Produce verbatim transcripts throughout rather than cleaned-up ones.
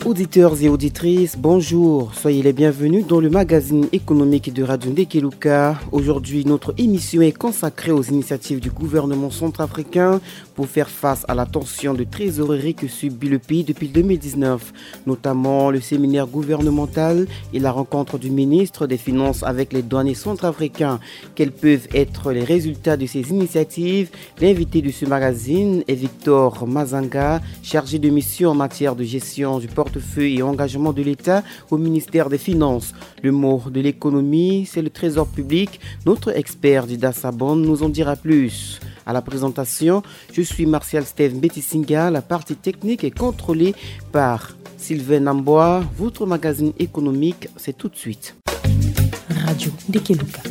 Auditeurs et auditrices, bonjour. Soyez les bienvenus dans le magazine économique de Radio Ndekeluka. Aujourd'hui, notre émission est consacrée aux initiatives du gouvernement centrafricain pour faire face à la tension de trésorerie que subit le pays depuis deux mille dix-neuf, notamment le séminaire gouvernemental et la rencontre du ministre des Finances avec les douaniers centrafricains. Quels peuvent être les résultats de ces initiatives ? L'invité de ce magazine est Victor Mazanga, chargé de mission en matière de gestion du portefeuille et engagement de l'État au ministère des Finances. Le mot de l'économie, c'est le trésor public. Notre expert Dida Sabon nous en dira plus. À la présentation, je suis Martial Steve Mbetisinga. La partie technique est contrôlée par Sylvain Namboa. Votre magazine économique, c'est tout de suite. Radio Ndekeluka.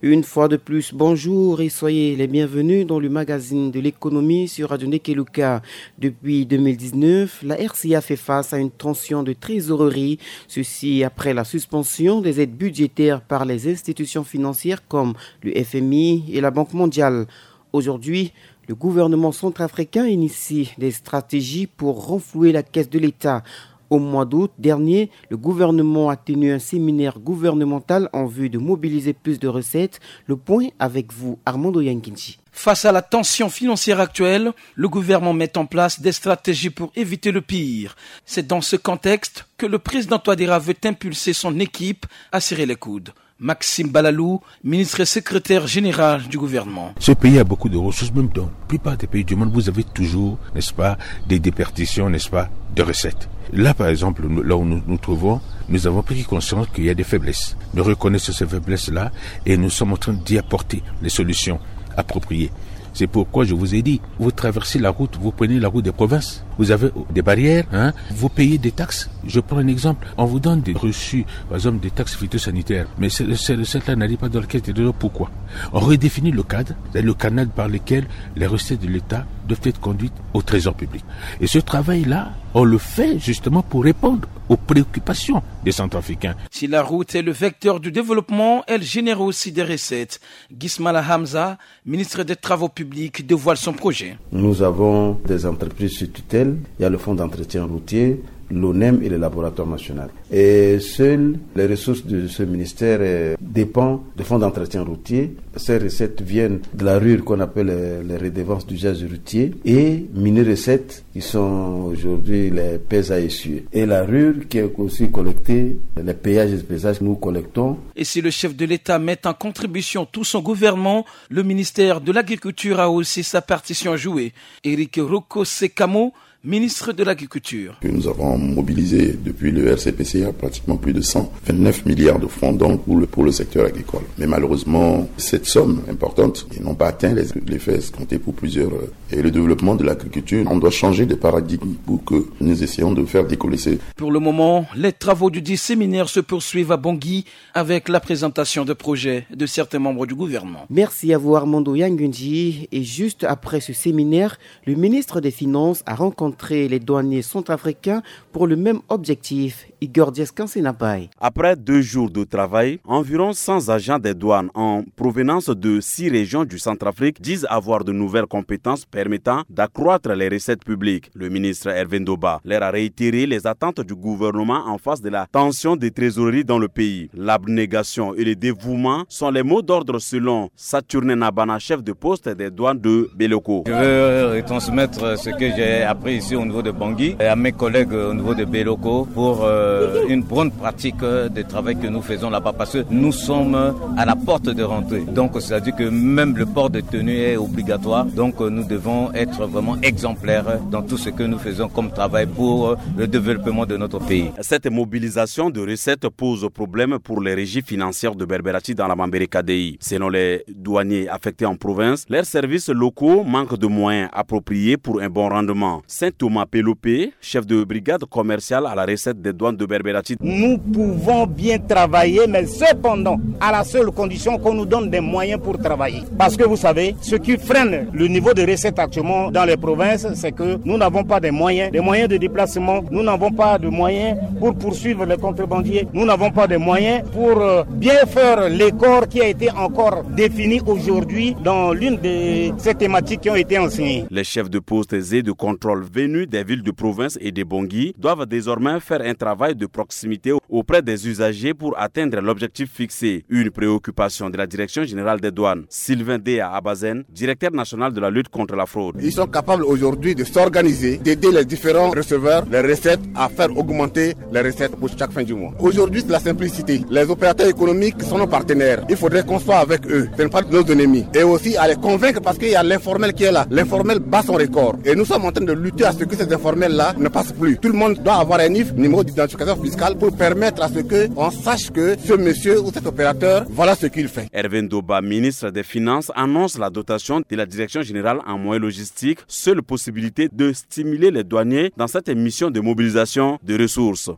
Une fois de plus, bonjour et soyez les bienvenus dans le magazine de l'économie sur Radio Ndekeluka. Depuis deux mille dix-neuf, la R C A fait face à une tension de trésorerie. Ceci après la suspension des aides budgétaires par les institutions financières comme le F M I et la Banque mondiale. Aujourd'hui, le gouvernement centrafricain initie des stratégies pour renflouer la caisse de l'État. Au mois d'août dernier, le gouvernement a tenu un séminaire gouvernemental en vue de mobiliser plus de recettes. Le point avec vous, Armando Yanginji. Face à la tension financière actuelle, le gouvernement met en place des stratégies pour éviter le pire. C'est dans ce contexte que le président Touadéra veut impulser son équipe à serrer les coudes. Maxime Balalou, ministre et secrétaire général du gouvernement. Ce pays a beaucoup de ressources, même dans la plupart des pays du monde, vous avez toujours, n'est-ce pas, des déperditions, n'est-ce pas, de recettes. Là, par exemple, nous- là où nous nous trouvons, nous avons pris conscience qu'il y a des faiblesses. Nous reconnaissons ces faiblesses-là et nous sommes en train d'y apporter les solutions appropriées. C'est pourquoi je vous ai dit, vous traversez la route, vous prenez la route des provinces. Vous avez des barrières, hein, vous payez des taxes. Je prends un exemple. On vous donne des reçus, par exemple des taxes phytosanitaires. Mais ces, ces recettes-là n'arrivent pas dans le caisse des trésors. Pourquoi ? On redéfinit le cadre, c'est le canal par lequel les recettes de l'État doivent être conduites au trésor public. Et ce travail-là, on le fait justement pour répondre aux préoccupations des Centrafricains. Si la route est le vecteur du développement, elle génère aussi des recettes. Gismala Hamza, ministre des Travaux publics, dévoile son projet. Nous avons des entreprises sous tutelle. Il y a le fonds d'entretien routier, l'ONEM et le laboratoire national. Et seules les ressources de ce ministère euh, dépendent du fonds d'entretien routier. Ces recettes viennent de la rure qu'on appelle euh, les redevances d'usage routier et mini-recettes qui sont aujourd'hui les pèses à essuyer. Et la rure qui est aussi collectée, les péages et les péages que nous collectons. Et si le chef de l'État met en contribution tout son gouvernement, le ministère de l'Agriculture a aussi sa partition à jouer. Éric Roko Sekamo, ministre de l'Agriculture. Que nous avons mobilisé depuis le R C P C A pratiquement plus de cent vingt-neuf milliards de francs donc pour le, pour le secteur agricole. Mais malheureusement, cette somme importante n'a pas atteint les, les effets escomptés pour plusieurs. Euh, et le développement de l'agriculture, on doit changer de paradigme pour que nous essayons de faire décoller ces. Pour le moment, les travaux du dit séminaire se poursuivent à Bangui avec la présentation de projets de certains membres du gouvernement. Merci à vous Armando Yangunji. Et juste après ce séminaire, le ministre des Finances a rencontré les douaniers centrafricains pour le même objectif. Igor Diaskansenapai. Après deux jours de travail, environ cent agents des douanes en provenance de six régions du Centrafrique disent avoir de nouvelles compétences permettant d'accroître les recettes publiques. Le ministre Hervé Ndoba leur a réitéré les attentes du gouvernement en face de la tension des trésoreries dans le pays. L'abnégation et le dévouement sont les mots d'ordre selon Saturnin Nabana, chef de poste des douanes de Beloko. Je veux retransmettre ce que j'ai appris ici au niveau de Bangui et à mes collègues au niveau de Beloko pour euh, une bonne pratique de travail que nous faisons là-bas parce que nous sommes à la porte de rentrée. Donc, c'est-à-dire que même le port de tenue est obligatoire. Donc, nous devons être vraiment exemplaires dans tout ce que nous faisons comme travail pour le développement de notre pays. Cette mobilisation de recettes pose problème pour les régies financières de Berberati dans la Mambere Kadei. Selon les douaniers affectés en province, leurs services locaux manquent de moyens appropriés pour un bon rendement. Thomas Pelopé, chef de brigade commerciale à la recette des douanes de Berberaty. Nous pouvons bien travailler, mais cependant, à la seule condition qu'on nous donne des moyens pour travailler. Parce que vous savez, ce qui freine le niveau de recette actuellement dans les provinces, c'est que nous n'avons pas de moyens, des moyens de déplacement, nous n'avons pas de moyens pour poursuivre les contrebandiers, nous n'avons pas de moyens pour euh, bien faire l'écart qui a été encore défini aujourd'hui dans l'une de ces thématiques qui ont été enseignées. Les chefs de poste et de contrôle venus des villes de province et de Bangui doivent désormais faire un travail de proximité auprès des usagers pour atteindre l'objectif fixé. Une préoccupation de la Direction générale des douanes. Sylvain Dea Abazen, directeur national de la lutte contre la fraude. Ils sont capables aujourd'hui de s'organiser, d'aider les différents receveurs, les recettes, à faire augmenter les recettes pour chaque fin du mois. Aujourd'hui, c'est la simplicité. Les opérateurs économiques sont nos partenaires. Il faudrait qu'on soit avec eux. Ce n'est pas nos ennemis. Et aussi à les convaincre parce qu'il y a l'informel qui est là. L'informel bat son record. Et nous sommes en train de lutter à ce que ces informels-là ne passent plus. Tout le monde doit avoir un NIF, numéro d'identification fiscale, pour permettre à ce que on sache que ce monsieur ou cet opérateur, voilà ce qu'il fait. Hervé Ndoba, ministre des Finances, annonce la dotation de la Direction générale en moyens logistiques, seule possibilité de stimuler les douaniers dans cette mission de mobilisation de ressources.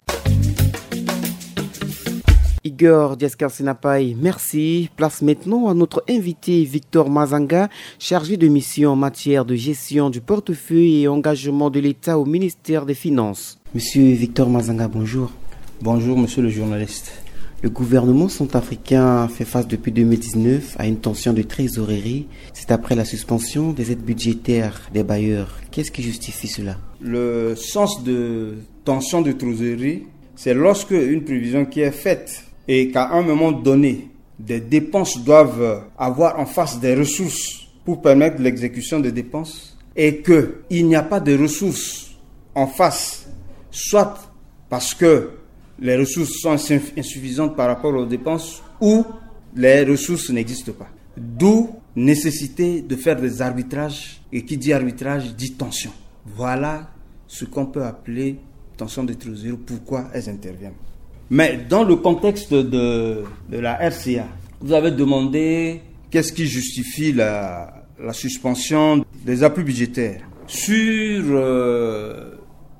Igor Diaskar Sinapai, merci. Place maintenant à notre invité Victor Mazanga, chargé de mission en matière de gestion du portefeuille et engagement de l'État au ministère des Finances. Monsieur Victor Mazanga, bonjour. Bonjour, monsieur le journaliste. Le gouvernement centrafricain fait face depuis deux mille dix-neuf à une tension de trésorerie. C'est après la suspension des aides budgétaires des bailleurs. Qu'est-ce qui justifie cela ? Le sens de tension de trésorerie, c'est lorsque une prévision qui est faite et qu'à un moment donné, des dépenses doivent avoir en face des ressources pour permettre l'exécution des dépenses et qu'il n'y a pas de ressources en face, soit parce que les ressources sont insuff- insuffisantes par rapport aux dépenses ou les ressources n'existent pas. D'où nécessité de faire des arbitrages, et qui dit arbitrage dit tension. Voilà ce qu'on peut appeler tension de trésorerie, pourquoi elles interviennent. Mais dans le contexte de, de la R C A, vous avez demandé qu'est-ce qui justifie la, la suspension des appuis budgétaires. Sur euh,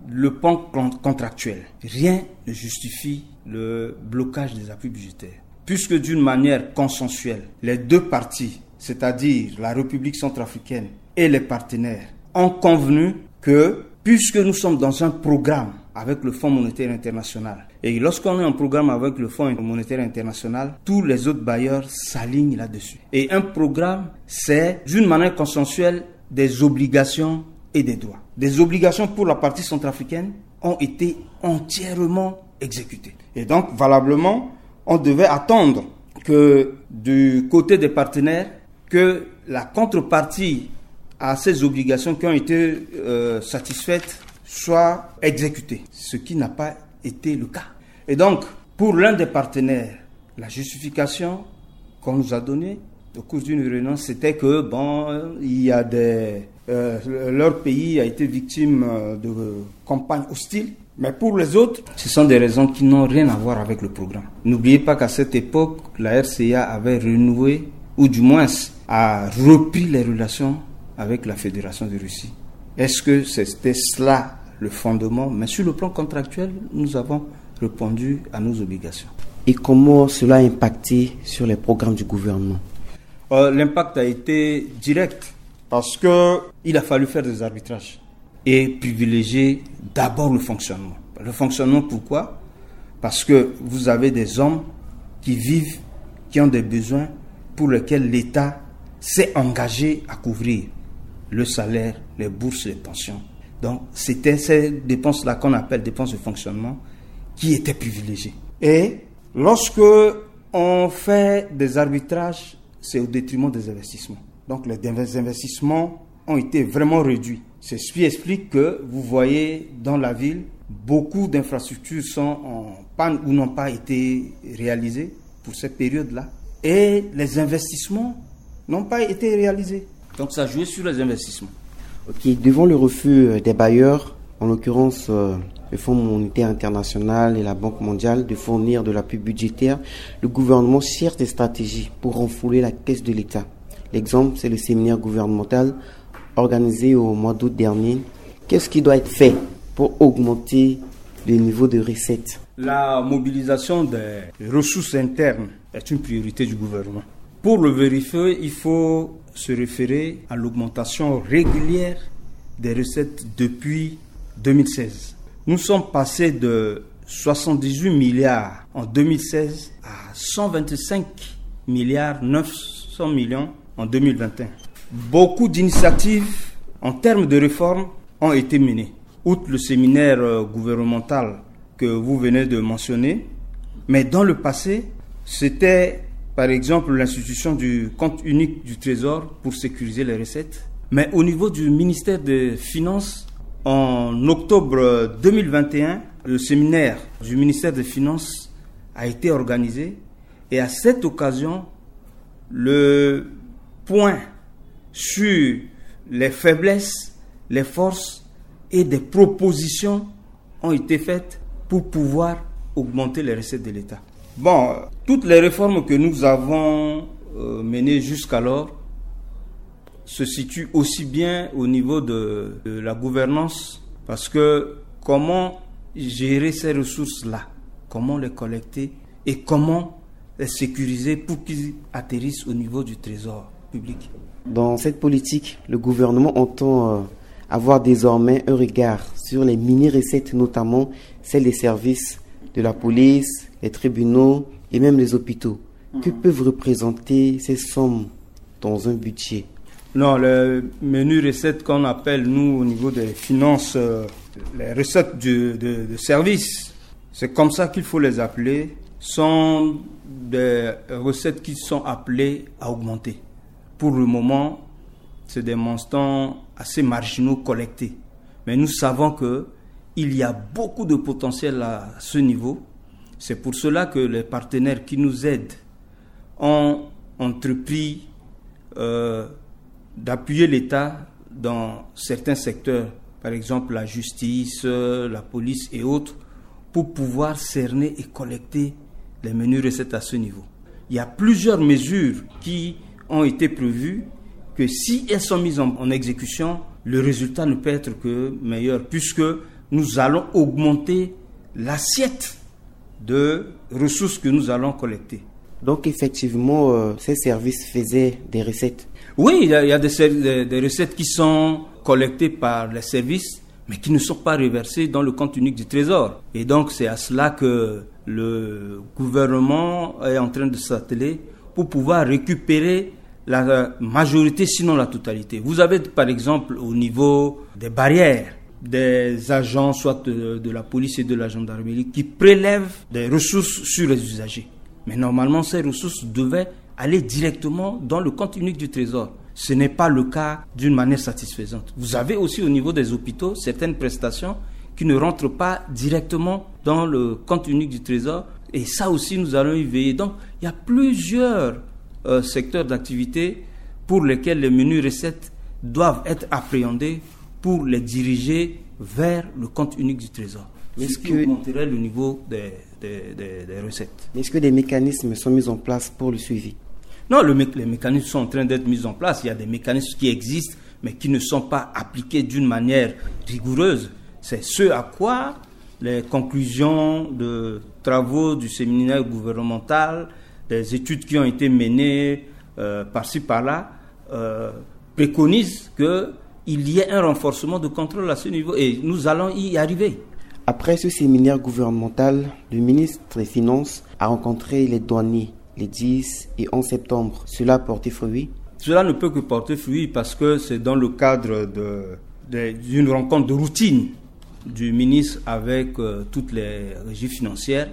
le plan con- contractuel, rien ne justifie le blocage des appuis budgétaires. Puisque d'une manière consensuelle, les deux parties, c'est-à-dire la République centrafricaine et les partenaires, ont convenu que, puisque nous sommes dans un programme avec le Fonds monétaire international, et lorsqu'on est en programme avec le Fonds monétaire international, tous les autres bailleurs s'alignent là-dessus. Et un programme, c'est d'une manière consensuelle des obligations et des droits. Des obligations pour la partie centrafricaine ont été entièrement exécutées. Et donc, valablement, on devait attendre que du côté des partenaires, que la contrepartie à ces obligations qui ont été euh, satisfaites soit exécutée, ce qui n'a pas été le cas. Et donc, pour l'un des partenaires, la justification qu'on nous a donnée au cours d'une réunion, c'était que, bon, il y a des, euh, leur pays a été victime euh, de campagnes hostiles. Mais pour les autres, ce sont des raisons qui n'ont rien à voir avec le programme. N'oubliez pas qu'à cette époque, la R C A avait renoué, ou du moins a repris les relations avec la Fédération de Russie. Est-ce que c'était cela le fondement ? Mais sur le plan contractuel, nous avons répondu à nos obligations. Et comment cela a impacté sur les programmes du gouvernement ? Euh, l'impact a été direct parce que il a fallu faire des arbitrages et privilégier d'abord le fonctionnement. Le fonctionnement, pourquoi ? Parce que vous avez des hommes qui vivent, qui ont des besoins pour lesquels l'État s'est engagé à couvrir le salaire, les bourses, les pensions. Donc, c'était ces dépenses-là qu'on appelle dépenses de fonctionnement qui étaient privilégiées. Et lorsque on fait des arbitrages, c'est au détriment des investissements. Donc, les investissements ont été vraiment réduits. C'est ce qui explique que vous voyez dans la ville, beaucoup d'infrastructures sont en panne ou n'ont pas été réalisées pour cette période-là. Et les investissements n'ont pas été réalisés. Donc ça joue sur les investissements. Ok, devant le refus euh, des bailleurs, en l'occurrence euh, le Fonds monétaire international et la Banque mondiale, de fournir de l'appui budgétaire, le gouvernement cherche des stratégies pour renflouer la caisse de l'État. L'exemple, c'est le séminaire gouvernemental organisé au mois d'août dernier Qu'est-ce qui doit être fait pour augmenter le niveau de recette ? La mobilisation des ressources internes est une priorité du gouvernement. Pour le vérifier, il faut se référer à l'augmentation régulière des recettes depuis deux mille seize. Nous sommes passés de soixante-dix-huit milliards en deux mille seize à cent vingt-cinq milliards neuf cents millions en deux mille vingt et un. Beaucoup d'initiatives en termes de réforme ont été menées, outre le séminaire, euh, gouvernemental que vous venez de mentionner. Mais dans le passé, c'était par exemple l'institution du compte unique du Trésor pour sécuriser les recettes. Mais au niveau du ministère des Finances, en octobre deux mille vingt et un, le séminaire du ministère des Finances a été organisé et à cette occasion, le point sur les faiblesses, les forces et des propositions ont été faites pour pouvoir augmenter les recettes de l'État. Bon, toutes les réformes que nous avons, euh, menées jusqu'alors se situent aussi bien au niveau de, de la gouvernance, parce que comment gérer ces ressources-là, comment les collecter et comment les sécuriser pour qu'ils atterrissent au niveau du trésor public. Dans cette politique, le gouvernement entend, euh, avoir désormais un regard sur les mini-recettes, notamment celles des services de la police, les tribunaux et même les hôpitaux. Que peuvent représenter ces sommes dans un budget ? Non, les menues recettes qu'on appelle, nous, au niveau des finances, euh, les recettes de, de, de service, c'est comme ça qu'il faut les appeler, sont des recettes qui sont appelées à augmenter. Pour le moment, c'est des montants assez marginaux collectés. Mais nous savons que il y a beaucoup de potentiel à ce niveau. C'est pour cela que les partenaires qui nous aident ont entrepris, euh, d'appuyer l'État dans certains secteurs, par exemple la justice, euh, la police et autres, pour pouvoir cerner et collecter les menues recettes à ce niveau. Il y a plusieurs mesures qui ont été prévues que si elles sont mises en, en exécution, le résultat ne peut être que meilleur, puisque nous allons augmenter l'assiette de ressources que nous allons collecter. Donc effectivement, euh, ces services faisaient des recettes. Oui, il y a, il y a des, des, des recettes qui sont collectées par les services, mais qui ne sont pas reversées dans le compte unique du trésor. Et donc c'est à cela que le gouvernement est en train de s'atteler pour pouvoir récupérer la majorité, sinon la totalité. Vous avez par exemple au niveau des barrières, des agents, soit de, de la police et de la gendarmerie, qui prélèvent des ressources sur les usagers. Mais normalement, ces ressources devaient aller directement dans le compte unique du trésor. Ce n'est pas le cas d'une manière satisfaisante. Vous avez aussi au niveau des hôpitaux certaines prestations qui ne rentrent pas directement dans le compte unique du trésor. Et ça aussi, nous allons y veiller. Donc, il y a plusieurs, euh, secteurs d'activité pour lesquels les menues recettes doivent être appréhendées pour les diriger vers le compte unique du trésor. Mais ce qui augmenterait le niveau des, des, des, des recettes. Mais est-ce que des mécanismes sont mis en place pour le suivi ? Non, le mé-, les mécanismes sont en train d'être mis en place. Il y a des mécanismes qui existent, mais qui ne sont pas appliqués d'une manière rigoureuse. C'est ce à quoi les conclusions de travaux du séminaire gouvernemental, des études qui ont été menées, euh, par-ci par-là, euh, préconisent que il y ait un renforcement de contrôle à ce niveau et nous allons y arriver. Après ce séminaire gouvernemental, le ministre des Finances a rencontré les douaniers les dix et onze septembre. Cela a porté fruit ? Cela ne peut que porter fruit parce que c'est dans le cadre de, de, d'une rencontre de routine du ministre avec, euh, toutes les régies financières.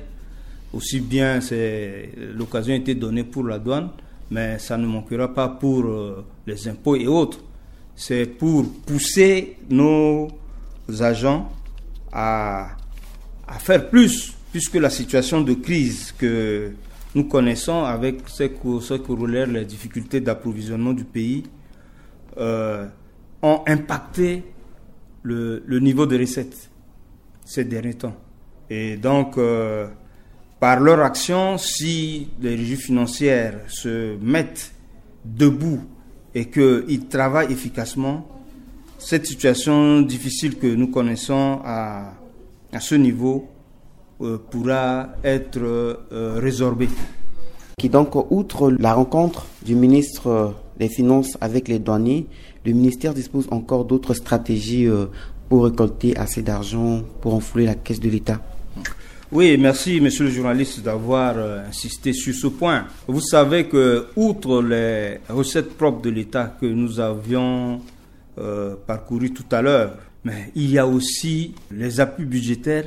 Aussi bien, c'est, l'occasion a été donnée pour la douane, mais ça ne manquera pas pour, euh, les impôts et autres. C'est pour pousser nos agents à, à faire plus, puisque la situation de crise que nous connaissons avec ce que, ce que relèvent les difficultés d'approvisionnement du pays, euh, ont impacté le, le niveau de recettes ces derniers temps. Et donc, euh, par leur action, si les régies financières se mettent debout et qu'ils travaillent efficacement, Cette situation difficile que nous connaissons à, à ce niveau euh, pourra être euh, résorbée. Qui donc, outre la rencontre du ministre des Finances avec les douaniers, le ministère dispose encore d'autres stratégies euh, pour récolter assez d'argent pour enflouer la caisse de l'État. Oui, merci, monsieur le journaliste, d'avoir euh, insisté sur ce point. Vous savez que, outre les recettes propres de l'État que nous avions euh, parcourues tout à l'heure, mais il y a aussi les appuis budgétaires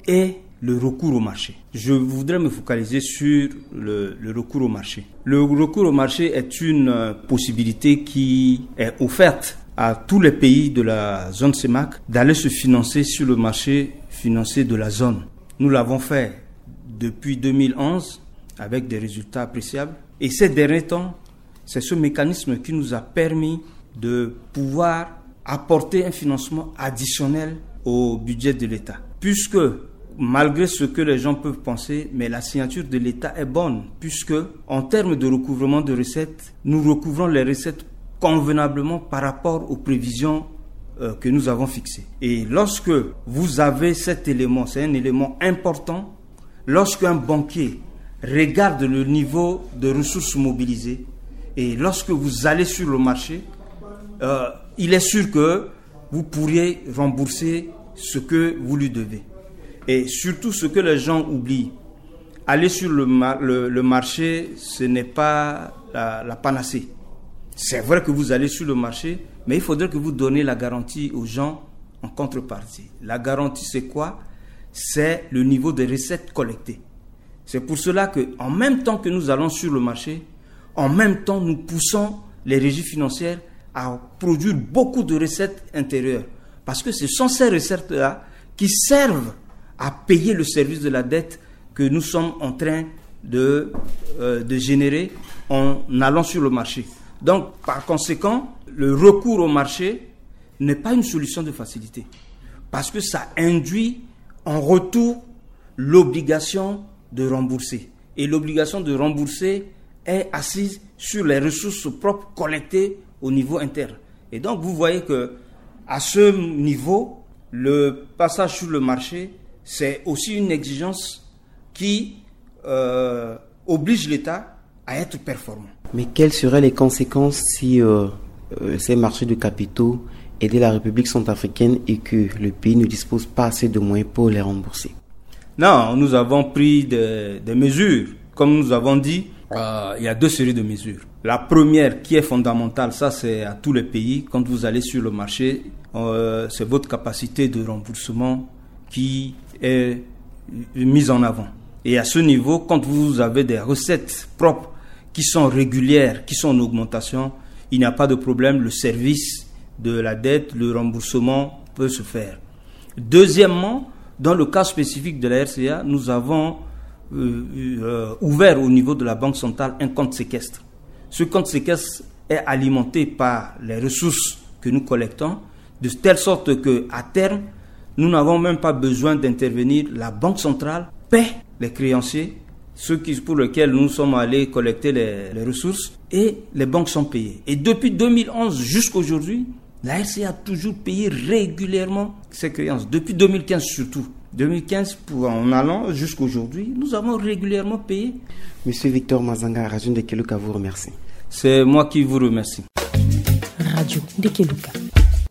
et le recours au marché. Je voudrais me focaliser sur le, le recours au marché. Le recours au marché est une euh, possibilité qui est offerte à tous les pays de la zone C E M A C d'aller se financer sur le marché financier de la zone. Nous l'avons fait depuis deux mille onze avec des résultats appréciables. Et ces derniers temps, c'est ce mécanisme qui nous a permis de pouvoir apporter un financement additionnel au budget de l'État. Puisque, malgré ce que les gens peuvent penser, mais la signature de l'État est bonne, puisque, en termes de recouvrement de recettes, nous recouvrons les recettes convenablement par rapport aux prévisions euh, que nous avons fixées. Et lorsque vous avez cet élément, c'est un élément important, lorsqu'un banquier regarde le niveau de ressources mobilisées, et lorsque vous allez sur le marché, euh, il est sûr que vous pourriez rembourser ce que vous lui devez. Et surtout, ce que les gens oublient, aller sur le, mar- le, le marché, ce n'est pas la, la panacée. C'est vrai que vous allez sur le marché, mais il faudrait que vous donniez la garantie aux gens en contrepartie. La garantie, c'est quoi ? C'est le niveau de recettes collectées. C'est pour cela que, en même temps que nous allons sur le marché, en même temps, nous poussons les régies financières à produire beaucoup de recettes intérieures. Parce que ce sont ces recettes-là qui servent à payer le service de la dette que nous sommes en train de, euh, de générer en allant sur le marché. Donc, par conséquent, le recours au marché n'est pas une solution de facilité. Parce que ça induit en retour l'obligation de rembourser. Et l'obligation de rembourser est assise sur les ressources propres collectées au niveau interne. Et donc, vous voyez que, à ce niveau, le passage sur le marché, c'est aussi une exigence qui euh, oblige l'État à être performant. Mais quelles seraient les conséquences si euh, euh, ces marchés de capitaux aidaient la République centrafricaine et que le pays ne dispose pas assez de moyens pour les rembourser ? Non, nous avons pris des, des mesures. Comme nous avons dit, euh, il y a deux séries de mesures. La première, qui est fondamentale, ça c'est à tous les pays, quand vous allez sur le marché, euh, c'est votre capacité de remboursement qui est mise en avant. Et à ce niveau, quand vous avez des recettes propres qui sont régulières, qui sont en augmentation, il n'y a pas de problème, le service de la dette, le remboursement peut se faire. Deuxièmement, dans le cas spécifique de la R C A, nous avons euh, euh, ouvert au niveau de la Banque centrale un compte séquestre. Ce compte séquestre est alimenté par les ressources que nous collectons, de telle sorte que, à terme, nous n'avons même pas besoin d'intervenir. La Banque centrale paie les créanciers, ceux qui, pour lesquels nous sommes allés collecter les, les ressources, et les banques sont payées. Et depuis deux mille onze jusqu'aujourd'hui, la R C A a toujours payé régulièrement ses créances, depuis deux mille quinze surtout. Deux mille quinze, pour, en allant jusqu'aujourd'hui, nous avons régulièrement payé. Monsieur Victor Mazanga, Radio Ndekeluka vous remercie. C'est moi qui vous remercie. Radio Ndekeluka.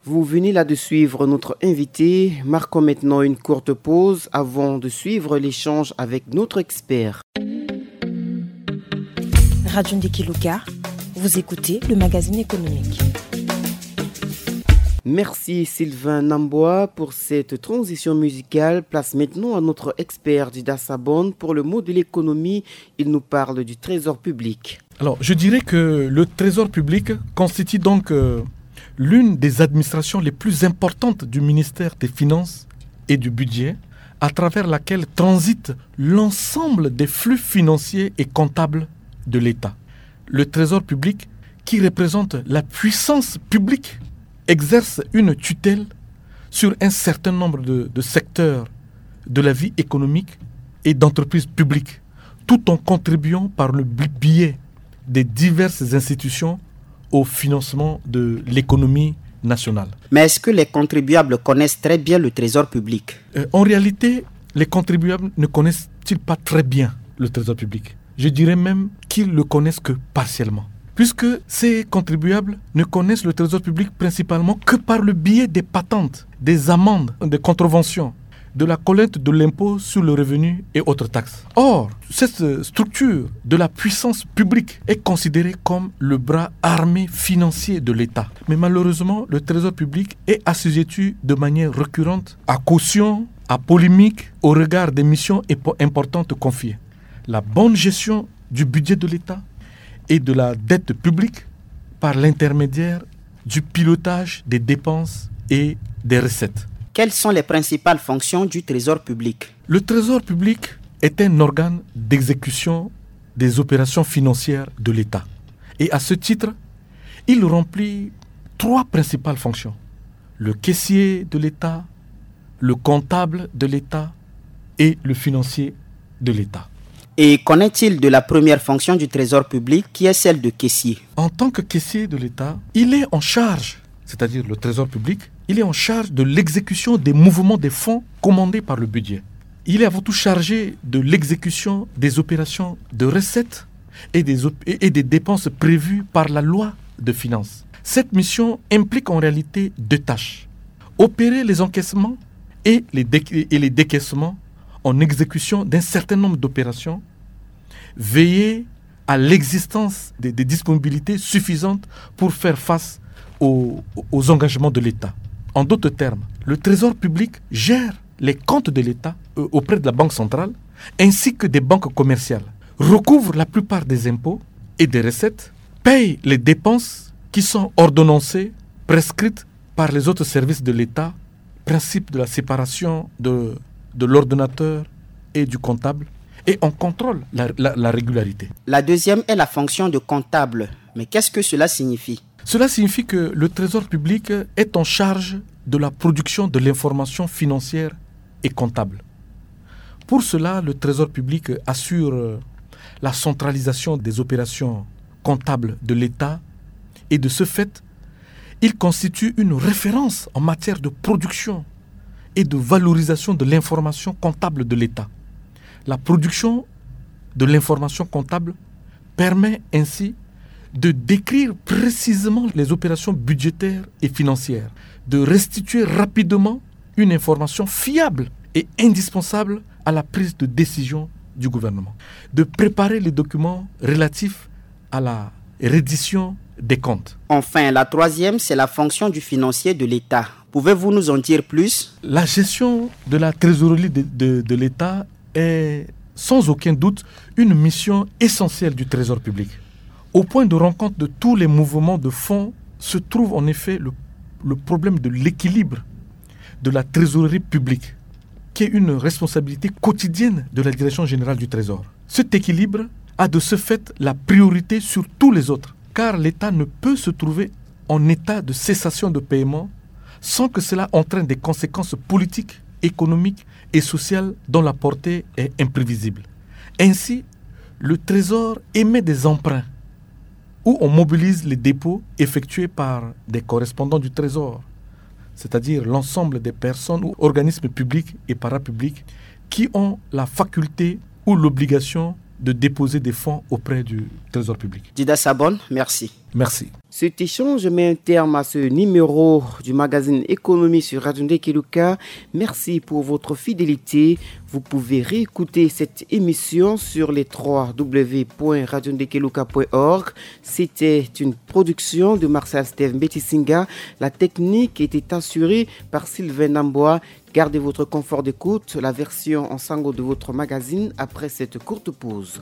Vous venez là de suivre notre invité. Marquons maintenant une courte pause avant de suivre l'échange avec notre expert. Radio Ndekeluka, vous écoutez le magazine économique. Merci Sylvain Namboa pour cette transition musicale. Place maintenant à notre expert Dida Sabon pour le mot de l'économie. Il nous parle du trésor public. Alors, je dirais que le trésor public constitue donc euh, l'une des administrations les plus importantes du ministère des Finances et du Budget, à travers laquelle transite l'ensemble des flux financiers et comptables de l'État. Le trésor public, qui représente la puissance publique, exerce une tutelle sur un certain nombre de, de secteurs de la vie économique et d'entreprises publiques, tout en contribuant par le bi- biais des diverses institutions au financement de l'économie nationale. Mais est-ce que les contribuables connaissent très bien le trésor public ? Euh, en réalité, les contribuables ne connaissent-ils pas très bien le trésor public ? Je dirais même qu'ils le connaissent que partiellement. Puisque ces contribuables ne connaissent le trésor public principalement que par le biais des patentes, des amendes, des contraventions, de la collecte de l'impôt sur le revenu et autres taxes. Or, cette structure de la puissance publique est considérée comme le bras armé financier de l'État. Mais malheureusement, le trésor public est assujetti de manière récurrente à caution, à polémique au regard des missions importantes confiées. La bonne gestion du budget de l'État et de la dette publique par l'intermédiaire du pilotage des dépenses et des recettes. Quelles sont les principales fonctions du trésor public ? Le trésor public est un organe d'exécution des opérations financières de l'État. Et à ce titre, il remplit trois principales fonctions. Le caissier de l'État, le comptable de l'État et le financier de l'État. Et qu'en est-il de la première fonction du trésor public, qui est celle de caissier ? En tant que caissier de l'État, il est en charge, c'est-à-dire le trésor public, il est en charge de l'exécution des mouvements des fonds commandés par le budget. Il est avant tout chargé de l'exécution des opérations de recettes et des, et des dépenses prévues par la loi de finances. Cette mission implique en réalité deux tâches. Opérer les encaissements et les, et les décaissements en exécution d'un certain nombre d'opérations, veiller à l'existence des, des disponibilités suffisantes pour faire face aux, aux engagements de l'État. En d'autres termes, le trésor public gère les comptes de l'État, euh, auprès de la Banque centrale, ainsi que des banques commerciales, recouvre la plupart des impôts et des recettes, paye les dépenses qui sont ordonnancées, prescrites par les autres services de l'État, principe de la séparation de, de l'ordonnateur et du comptable, et en contrôle la, la, la régularité. La deuxième est la fonction de comptable. Mais qu'est-ce que cela signifie ? Cela signifie que le trésor public est en charge de la production de l'information financière et comptable. Pour cela, le trésor public assure la centralisation des opérations comptables de l'État et de ce fait, il constitue une référence en matière de production et de valorisation de l'information comptable de l'État. La production de l'information comptable permet ainsi de décrire précisément les opérations budgétaires et financières, de restituer rapidement une information fiable et indispensable à la prise de décision du gouvernement, de préparer les documents relatifs à la reddition des comptes. Enfin, la troisième, c'est la fonction du financier de l'État. Pouvez-vous nous en dire plus ? La gestion de la trésorerie de, de, de l'État est sans aucun doute une mission essentielle du trésor public. Au point de rencontre de tous les mouvements de fonds se trouve en effet le, le problème de l'équilibre de la trésorerie publique, qui est une responsabilité quotidienne de la Direction générale du Trésor. Cet équilibre a de ce fait la priorité sur tous les autres, car l'État ne peut se trouver en état de cessation de paiement sans que cela entraîne des conséquences politiques, économiques et sociales dont la portée est imprévisible. Ainsi, le Trésor émet des emprunts où on mobilise les dépôts effectués par des correspondants du Trésor, c'est-à-dire l'ensemble des personnes ou organismes publics et parapublics qui ont la faculté ou l'obligation de déposer des fonds auprès du Trésor public. Dida Sabon, merci. Merci. Cet échange met un terme à ce numéro du magazine Économie sur Radio Ndekeluka. Merci pour votre fidélité. Vous pouvez réécouter cette émission sur les trois w point radio ndekeluka point org. C'était une production de Marcel Steve Mbetisinga. La technique était assurée par Sylvain Namboa. Gardez votre confort d'écoute. La version en sango de votre magazine après cette courte pause.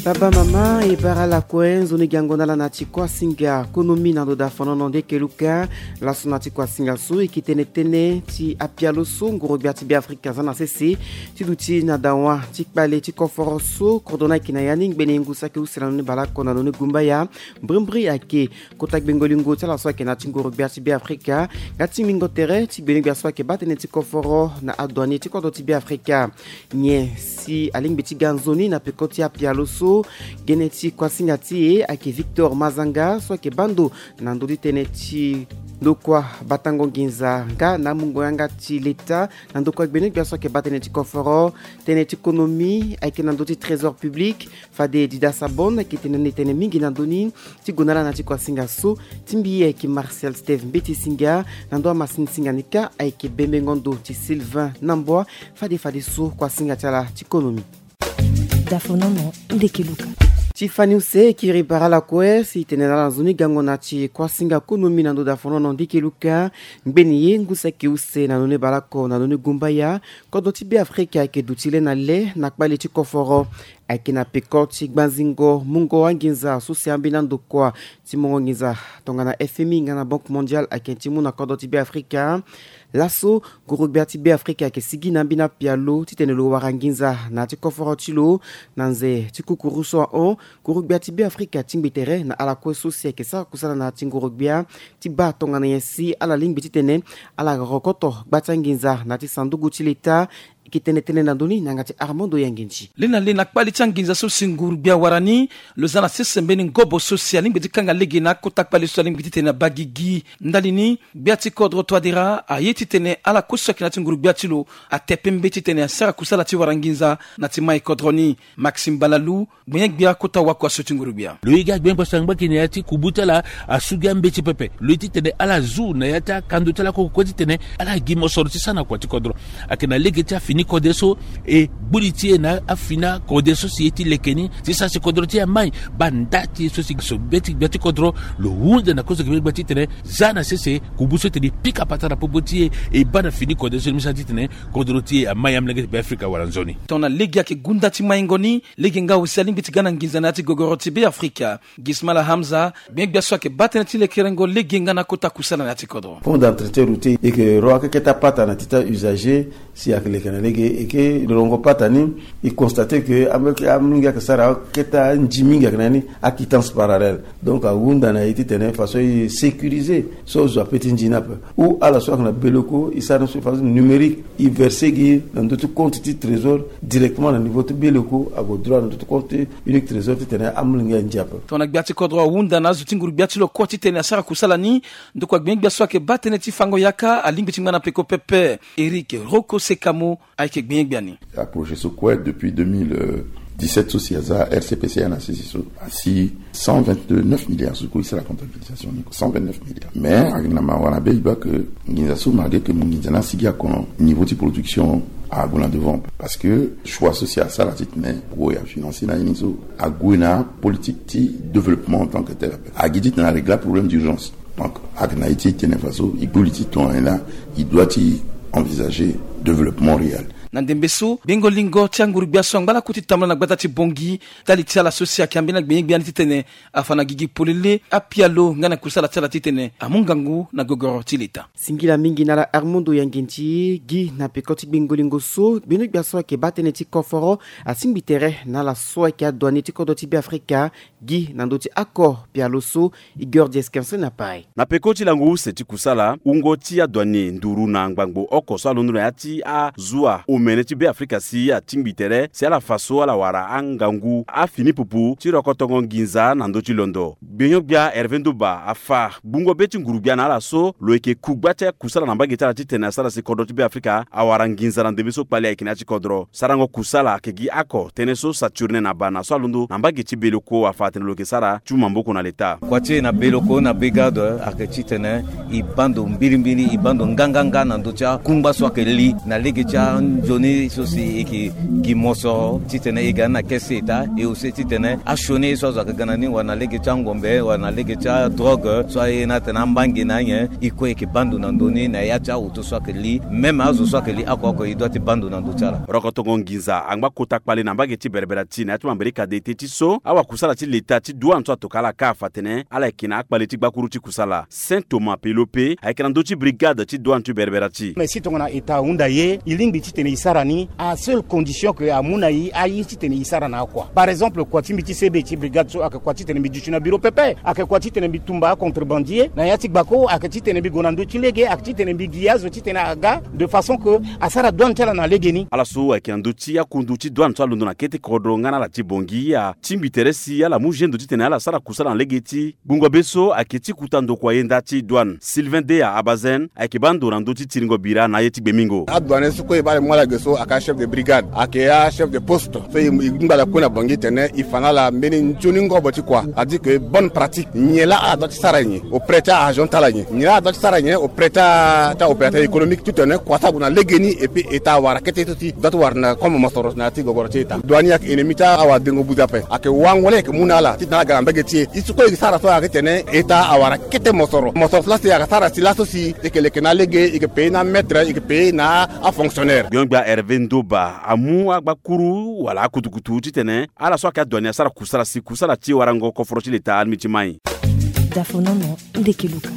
Baba mama e bara lakue nzoni gango na ala na ti kuasinga konomi na ndo da fonono nde keluka. Laso na ti kuasinga so e ke tene tënë ti apialo so nguru gbia ti Beafrika aza na sese ti duti na dawa ti kpale ti koforo so kodro ni ayeke na ya ni ngbene ngu saki use na ndo ni baleoko na ndo ni gumbaya. Mbrimbri ayeke kota gbengo lingo ti ala so ayeke na ti nguru gbia ti Beafrika nga ti mingo tere ti gbene gbia so ayeke baa tënë ti koforo na adouanier ti kodro ti Beafrika. Nyen si alingbi ti ga nzoni na peko ti apialo so? Gene ti kuasinga ti e ayeke Victor Mazanga so ayeke baa ndo na ndö ti tënë ti ndokua batango nginza nga na amungo yanga ti leta na ndokua gbene gbia so ayeke baa tënë ti koforo. Tënë ti konomi ayeke na ndö ti trésor public. Fade Dida Sabon ayeke tene na e tene mingi na ndö ni ti gue na ala na ti kuasinga so. Ti mbi ayeke Martial Steve Mbeti Singa. Na ndö amasini singa ni kâ ayeke bembengo ndo ti Sylvain Nambua. Fade fadeso kuasinga ti ala ti konomi. Dafonono ndeke luka. Ti fani use e kiri bara lakue si e tene na ala nzoni gango na ti kuasinga konomi na ndö dafonono ndeke luka. Ngbeni ye ngu saki use na ndo ni baleoko na ndo ni gumbaya. Kodro ti Beafrika ayeke duti le na le na kpale ti koforo. Ayeke na peko ti gbanzingo mungo anginza so si ambeni andokua ti mungo nginza tongana F M I nga na Banque Mondiale ayeke ti mu na kodro ti Beafrika. Laso nguru gbia ti Beafrika ayeke sigi na ambeni apialo titene lo wara nginza na ya ti koforo ti lo na nze ti kukuru so ahon. Nguru gbia ti Beafrika atingbi tere na ala kue so si ayeke sara kusala na ya ti nguru gbia ti baa tongana nyen si ala lingbi titene ala rokoto gba ti anginza na ya ti sanduku ti leta. E ke tene tënë na ndö ni na yanga ti Armando Yanginzi. Le na le na kpale ti anginza so si nguru gbia awara ni, lo za na sese mbeni ngobo so si alingbi ti kanga lege na akota kpale so alingbi titene abaa gigi. Ndali ni, gbia ti kodro Touadéra aye titene ala kue so ayeke na ya ti nguru gbia ti lo ate pembe titene asara kusala ti wara nginza na ti mai kodro ni. Maxime Balalou, gbenye-gbia kota wakua so ti nguru gbia. Lo ye gi agbenye-gbia so angba gi na ya ti kubu ti ala, asu gi ambeti pepe. Lo ye titene ala zu na ya ti akando ti ala kue kue titene ala gi mosoro ti sara na kua ti kodro. Ayeke na lege ti afini kode so, e gbu li ti e na afini akode so si e ti leke ni ti sara si kodro ti e amai. Baa nda ti e so si so be ti gbia ti kodro lo hunda na kozo gbenye-gbia titene za na sese kubu so tene e pika patara popo ti e, e baa na fini kode so ni mu sara titene kodro ti e amai. Amolenge ti Beafrika awara nzoni. Tongana lege ayeke gu nda ti maingo ni, lege nga aussi alingbi ti ga na nginza na ya ti gogoro ti Beafrika. Gismala Hamza, gbenye-gbia so ayeke baa tënë ti lekerengo lege nga na kota kusala na ya ti kodro. Pont d'entretien routier e yeke ro akeke ti apata na ti ta usager si ayeke leke na lege. E ke rongo pata ni, e constate que amolenge ayeke sara akete anzi mingi ayeke na ya ni, aquittance parallèle. Donc ahunda na e titene façon e sécuriser so azo ape ti nzi ni ape. Ou ala so ayeke na beleko e sara ni so façon numérique, e verser gi na ndö ti compte ti trésor directement na niveau ti beleko, ague droit na ndö ti compte unique trésor titene amolenge anzi ape. Tongana gbia ti kodro ahunda na azo ti nguru gbia ti lo kue titene asara kusala ni, ndokua gbenye-gbia so ayeke baa tënë ti fango yaka alingbi ti ngba na peko pepe. Eric Roko Sekamo ayeke gbenye-gbia ni. Aprojet so kue depuis deux mille dix-sept so si aza R C P C A na sese so asi cent vingt-neuf milliards so kue e sara comptabilisation ni, cent vingt-neuf milliards. Mais ayeke na mawa na be e baa que nginza so malgré que mo nginza ni asigi akono, niveau ti production ague na devant. Parce que choix so si asara titene poko e afinancer na ye ni so ague na politique ti développement en tant que tel ape. Agi titene arégler aproblème d'urgence. Donc ayeke na ye ti tene façon e gbu li ti tongana nyen la e doit ti envisager développement réel. Na ndembe so gbengo lingo ti anguru gbia so angba lakue ti tambula na gbata ti Bangui, ndali ti ala so si ayeke ambeni agbenye-gbia ni titene afa na gigi polele apialo nga na kusala ti ala titene amu ngangu na gogoro ti leta. Singila mingi na ala Armando Yanginzi. Gi na peko ti gbengo lingo so gbenyo-gbia so ayeke baa tënë ti koforo asingbi tere na ala so ayeke adouanier ti kodro ti Beafrika. Gi na ndö ti oko pialo so Igor Dieskensene apai. Na peko ti lango use ti kusala, wungo ti adouanier nduru na ngbangbo oko so alondo na ya ti azo omene ti Beafrika si atingbi tere si ala fa so ala wara angangu afini pupu ti rokotongo nginza na ndö ti londo. Gbenyo-gbia Hervé Ndouba afa gbungo be ti nguru-gbia na ala so lo yeke ku gba ti akusala na mbage ti ala titene asara si kodro ti Beafrika awara nginza na ndembe so kpale ayeke na ya ti kodro. Sarango kusala ayeke gi oko tënë so Saturnin Abana so alondo na mbage ti Beleko afa Tene lo yeke sara ti mu maboko na leta. Kua ti e na beloko na brigade ayeke titene e baa ndo mbirimbiri, e baa ndo nganganga na ndö ti akungba so ayeke li na lege ti anzoni so si e yeke gi mosoro titene e ga ni na kese eta. E aussi titene asioni ye so azo ayeke ga na ni wala na lege ti angombe wala na lege ti adrogue so aye ni atene ambangi na anyen. E kue e yeke baa ndo na ndö ni na ya ti ahoto so ayeke li. Même azo so ayeke li oko oko e doit ti baa ndo na ndö ti ala. Rokotongo nginza angba kota kpale na mbage ti berebere ti na ya ti mambere kadete ti so awakusala ti leta ti douane so atoka ala kâ afa atene ala yeke na akpale ti gbakuru ti kusala. Saint Thomas Pelope ayeke na ndö ti brigade ti douane ti berebere ti. Mais si tongana eta ahunda ye, e lingbi titene e sara ni à seule condition que amu na e aye titene e sara na akua. Par exemple, kua ti mbi ti sebe ti brigade so ayeke kua titene mbi duti na bureau pepe, ayeke kua titene mbi tumba acontrebandier na ya ti gbako, ayeke titene mbi gue na ndö ti lege, ayeke titene mbi gi azo titene aga de façon que asara douane ti ala na legeni. Ala so ayeke na ndö ti akundu ti douane so alondo na kete kodro nga na ala ti Bangui atingbi tere si ala mu gendo titene ala sara kusala na lege ti gbungo be so ayeke ti kuta ndokua yenda ti douane. Sylvain Deya Abazen ayeke baa ndo na ndö ti tiringo bira na aye ti gbemingo. Adouane so kue e baa ala mu ala ge so ayeke achef de brigade, ayeke achef de poste so e ngba ala kue na Bangui tene e fa na ala mbeni nzoni ngobo ti kua. A dit que bonne pratique, nyen laa ala doit ti sara nyen auprès ti a-agent ti ala nyen, nyen laa ala doit ti sara nyen auprès ti a-opérateur économique titene kua ti ague na legeni. Et puis eta awara kete so si doit ti wara na comme mosoro na ya ti gogoro ti eta. Douane ayeke ennemi ti awadengo buze ape. Ayeke wango laa e yeke mu na ala titene ala ga na mbage ti e. Ye so kue e yeke sara so ayeke tene eta awara kete mosoro. Mosoro so laa si ayeke sara si laso si e yeke leke na lege, e yeke paye na maître, e yeke paye na afonctionnaire. Gbia Hervé Ndoba amu agbakuru wala akutukutu titene ala so ayeke adouane asara kusala si kusala ti warango koforo ti leta alingbi ti mai. Dafonono ndeke luka.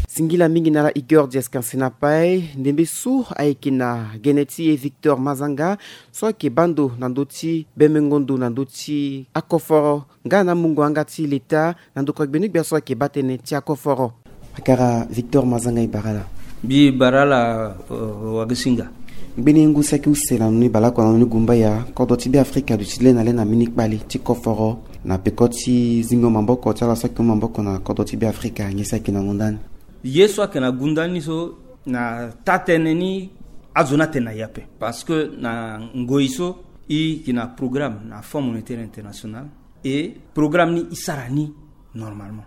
Singila mingi na ala Igor Diascansina Paye, ndembe so ayeke na gene ti e Victor Mazanga so ayeke baa ndo na ndö ti bemengo ndo na ndö ti akoforo nga na mungo yanga ti leta na ndokua gbeni-gbia so ayeke baa tënë ti akoforo. Akara Victor Mazanga, e bara ala. Mbi bara ala, euh, wagesinga. Ngbeni ngu saki use na nunu baleoko na nunu gumbaya, kodro ti Beafrika aduti le na le na mbeni kpale ti koforo na peko ti zingo maboko ti ala so ayeke mu maboko na kodro ti Beafrika, nyen si ayeke na ngonda ni? Ye so ayeke na gunda ni so na taa-tënë ni azo ni atene na e ape. Parce que na ngoi so e yeke na programme na Fonds Monétaire International. E programme ni e sara ni normalement.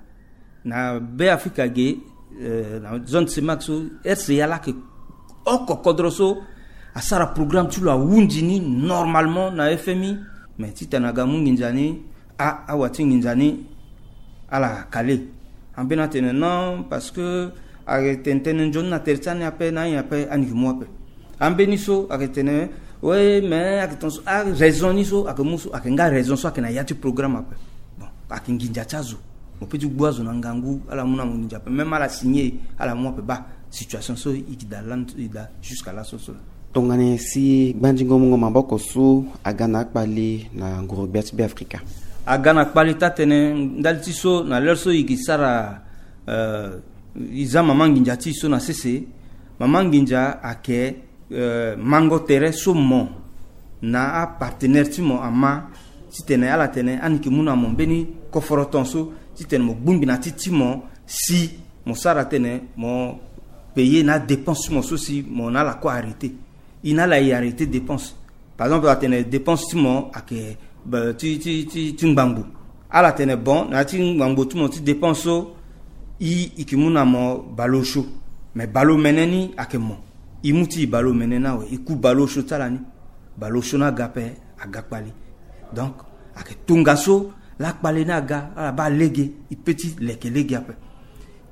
Na Beafrika ge, euh, na zone CEMAC so, R C A laa ayeke oko kodro so asara programme ti lo ahunzi ni normalement na F M I. Mais titene aga mu nginza ni, a, awa ti nginza ni ala kale. Ambeni atene non, parce que ayeke tene tënë nzoni na tere ti ani ape, na anyen ape ani yeke mu ape. Ambeni so ayeke tene, oui, mais ayeke tene so, araison ni so ayeke mu so, ayeke nga raison so ayeke na ya ti programme ape. Bon, ayeke nginza ti azo. Mo peut ti gbu azo na ngangu ala mu na mo nginza ape. Même ala signé, ala mu ape. Baa situation so e yeke daa lani, e daa jusqu'à laso so laa. Tongana nyen si gbanzingo mungo maboko so aga na akpale na nguru-gbia ti Beafrika? Aga na kpale taa-tënë ndali ti so na l'heure so e yeke sara, euh, e za mama nginza ti e so na sese. Mama nginza ayeke, euh, mango tere so mo na apartenaire ti mo ama titene ala tene ani yeke mu na mo mbeni koforo ton so titene mo gbingbi na ti ti mo si mo sara tene mo payer na adépense ti mo so si mo na ala kue arrêté. E na ala e arrêté dépense. Par exemple, atene dépense ti mo ayeke, ba, ti, ti, ti, ti ngbangbo. Ala tene bon, na ya ti ngbangbo ti mo ti dépense so, e, e yeke mu na mo bale osio. Mais bale omene ni ayeke mo. E mu ti e bale omene ni awe, e ku bale osio ti ala ni. Bale osio ni aga ape, aga kpale. Donc ayeke tongaso laa kpale ni aga, ala baa lege, e peut ti leke lege ape.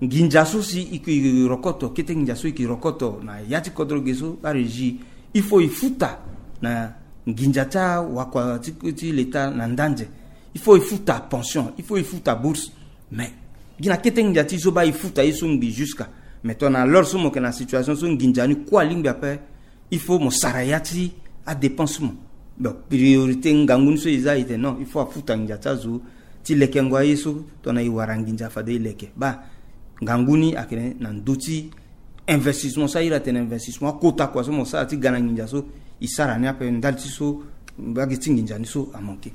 Nginza so si e yeke rokoto, kete nginza so e yeke rokoto na ya ti kodro ge so, la régie, il faut e futa na nginza ti awakua ti, ti leta na ndanze. Il faut e futa pension, il faut e futa bourse. Mais gi na kete nginza ti e so baa e futa ye so ngbii jusqu'à. Mais tongana l'heure so mo yeke na situation so nginza ni kue alingbi ape, il faut mo sara ya ti adépense ti mo. Donc priorité ngangu ni so e za e tene non, il faut afuta nginza ti azo ti lekengo aye so tongana e wara nginza fade e leke. Baa ngangu ni ayeke na ndö ti investissement so a iri atene investissement akota kua so mo sara ti ga na nginza so, e sara ni ape ndali ti so mbage ti nginza ni so amanke.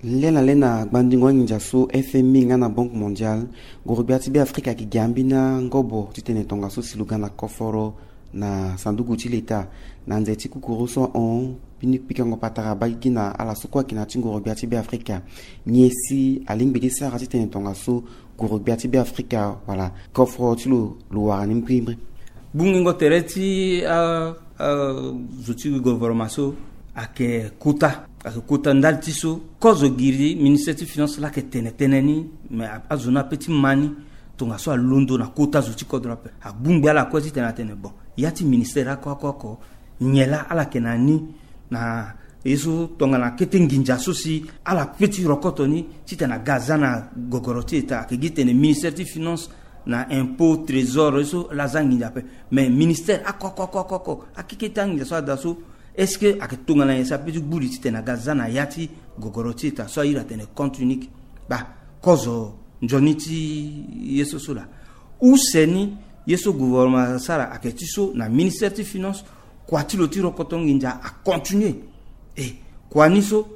Lê na lê na gbandingo anginza so F M I nga na Banque Mondiale, nguru-gbia ti Beafrika ayeke gi ambeni angobo titene tongaso si lo ga na koforo Na sanduku ti leta, na nze ti kukuru so ahon mbeni pikango patara baa gi na ala so kue ayeke na ya ti ngoro-gbia ti Beafrika. Nyen si alingbi ti sara titene tongaso ngoro-gbia ti Beafrika wala koforo ti lo lo wara ni mbirimbiri? Gbungingo tere ti a, a, zo ti gouvernement so ayeke kota, ayeke kota ndali ti so kozo giri ministère ti finance laa ayeke tene tënë ni. Me a, azo ni ape ti ma ni tongaso alondo na kota zo ti kodro ape. Agbungbi ala kue titene atene bon, ya ti ministère oko oko oko, nyen laa ala yeke na ni na ye so tongana kete nginza so si ala pe ti rokoto ni titene aga aza na gogoro ti État. Ayeke gi tene ministère ti finance na impôt, trésor, ye so laa aza nginza ape. Mais ministère oko oko oko oko, akekete anginza so ada so, est-ce que ayeke tongana nyen si ape ti gbu li titene aga aza na ya ti gogoro ti État so airi atene compte unique? Baa, kozo nzoni ti ye so so laa. Use ni, ye so gouvernement asara ayeke ti so na ministère ti finance, kua ti lo ti rokoto nginza acontinue. E kua ni so,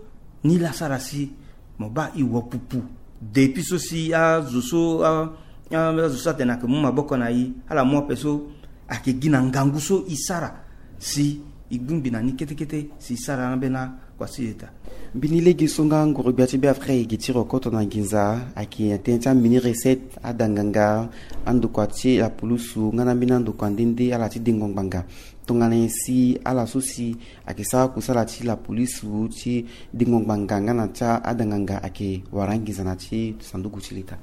ni laa asara si mo baa e wo pupu. Depuis so si azo so a, a, azo so atene ayeke mu maboko na e, ala mu ape so, ayeke gi na ngangu so e sara si e gbungbi na ni kete kete si e sara na ambeni akua ti État. Mbeni lege so nga ngoro-gbia ti Beafrika e gi ti rokoto na nginza ayeke na tënë ti ambeni recette, ada nganga, andokua ti lapulusu nga na ambeni andokua nde nde, ala ti dengo ngbanga. Tongana nyen si ala so si ayeke sara kusala ti lapolisu ti dengo ngbanga nga na ti ada nganga ayeke wara anginza na ti sanduku ti leta?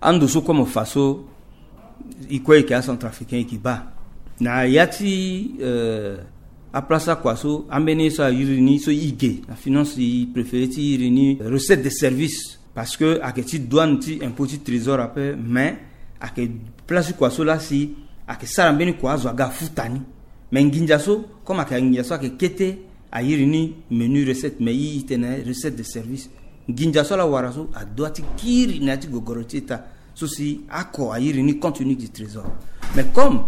Ando so kue mo fa so, e kue e yeke acentrafricain, e yeke baa na ya ti, euh, aplace akua so, ambeni ye so airi ni so e ge na finance, e préféré ti iri ni recette de service. Parce que ayeke ti douane, ti impôt, ti trésor ape, mais ayeke place ti kua so laa si ayeke sara mbeni kua azo aga afuta ni. Mais nginza so, comme ayeke nginza so ayeke kete, airi ni menu recette, mais e, e tene recette de service. Nginza so ala wara so adoit ti kiri na ya ti gogoro ti État so si oko airi ni compte unique du trésor. Mais comme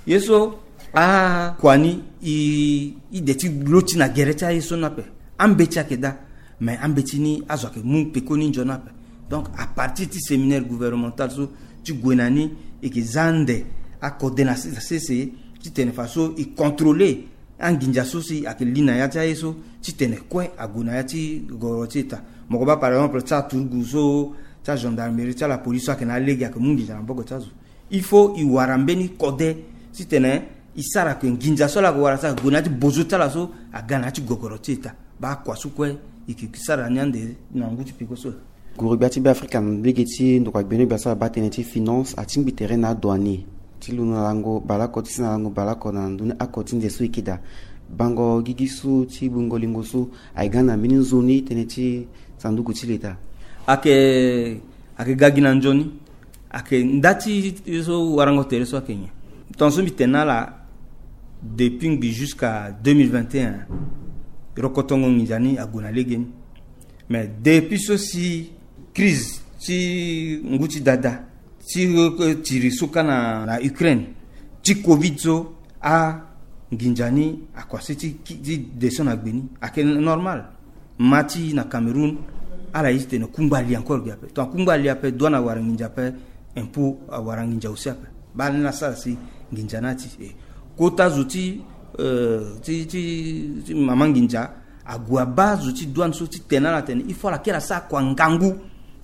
ye so akua ni e, e de ti lo ti na gere ti aye so ni ape, ambeti ayeke daa, mais ambeti ni azo ayeke mu pekoni nzoni ape. Donc à partir ti séminaire gouvernemental so ti gue na ni, e yeke za ande akode na sese titene faso e contrôler anginza so si ayeke li na ya ti aye so, titene kue ague na ya ti gogoro ti État. Mo ko baa par exemple ti aturugu so, ti agendarmerie, ti alapolice so ayeke na alege ayeke mu nginza na maboko ti azo. Il faut e wara mbeni kode titene e sara ke nginza so ala yeke wara so ayeke gue na ya ti bozo ti ala so aga na ya ti gogoro ti État. Baa kua so kue e yeke sara ni ande na ngu ti peko so. Nguru-gbia ti Beafrika na lege ti ndokua gbeno gbia so abaa tënë ti finance atingbi tere na adouanier ti lo na lango baleoko ti si na lango baleoko na ndoni oko ti nze so e yeke daa. Bango gigi so ti bungo lingo so ayeke ga na mbeni nzoni tënë ti sanduku ti leta? Ayeke, ayeke ga gi na nzoni. Ayeke nda ti ye so warango tere so ayeke nyen? Tongaso mbi tene na ala, depuis ngbii jusqu'à deux mille vingt et un, rokotongo nginza ni ague na legeni. Mais depuis so si crise ti ngu ti dada ti, euh, tiri so ka na, na Ukraine, ti covid so, anginza ni akua se ti, ti descend na gbe ni. Ayeke normal. Ma ti na Cameroun, ala ye titene kungba li encore gi ape. Tongana kungba li ape, douane awara nginza ape, impôt awara nginza aussi ape. Baa ni la sara si nginza ni ati, eh, kota zo ti, euh, ti, ti, ti mama nginza ague abaa zo ti douane so titene ala tene il faut ala kiri asara kua ngangu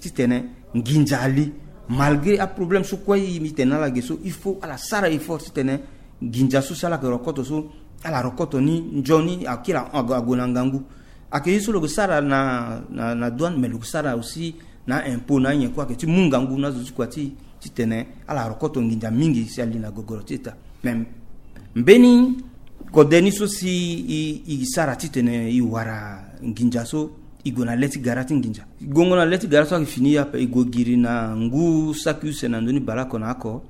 titene nginza ali. Malgré aproblème so kue, mbi tene na ala ge so, il faut ala sara effort titene nginza so si ala yeke rokoto so, ala rokoto ni nzoni, akiri ague na ngangu. Ayeke ye so lo yeke sara na, na, na douane, mais lo yeke sara aussi na impôt na anyen kue, ayeke ti mu ngangu na azo ti kua ti, titene ala rokoto nginza mingi si ali na gogoro ti eta. Mais mbeni kode ni so si e, e sara titene e wara nginza so, e gue na le ti gara ti nginza. Gongo na le ti gara so ayeke fini ape, e gue giri na ngu saki use na ndoni baleoko na oko.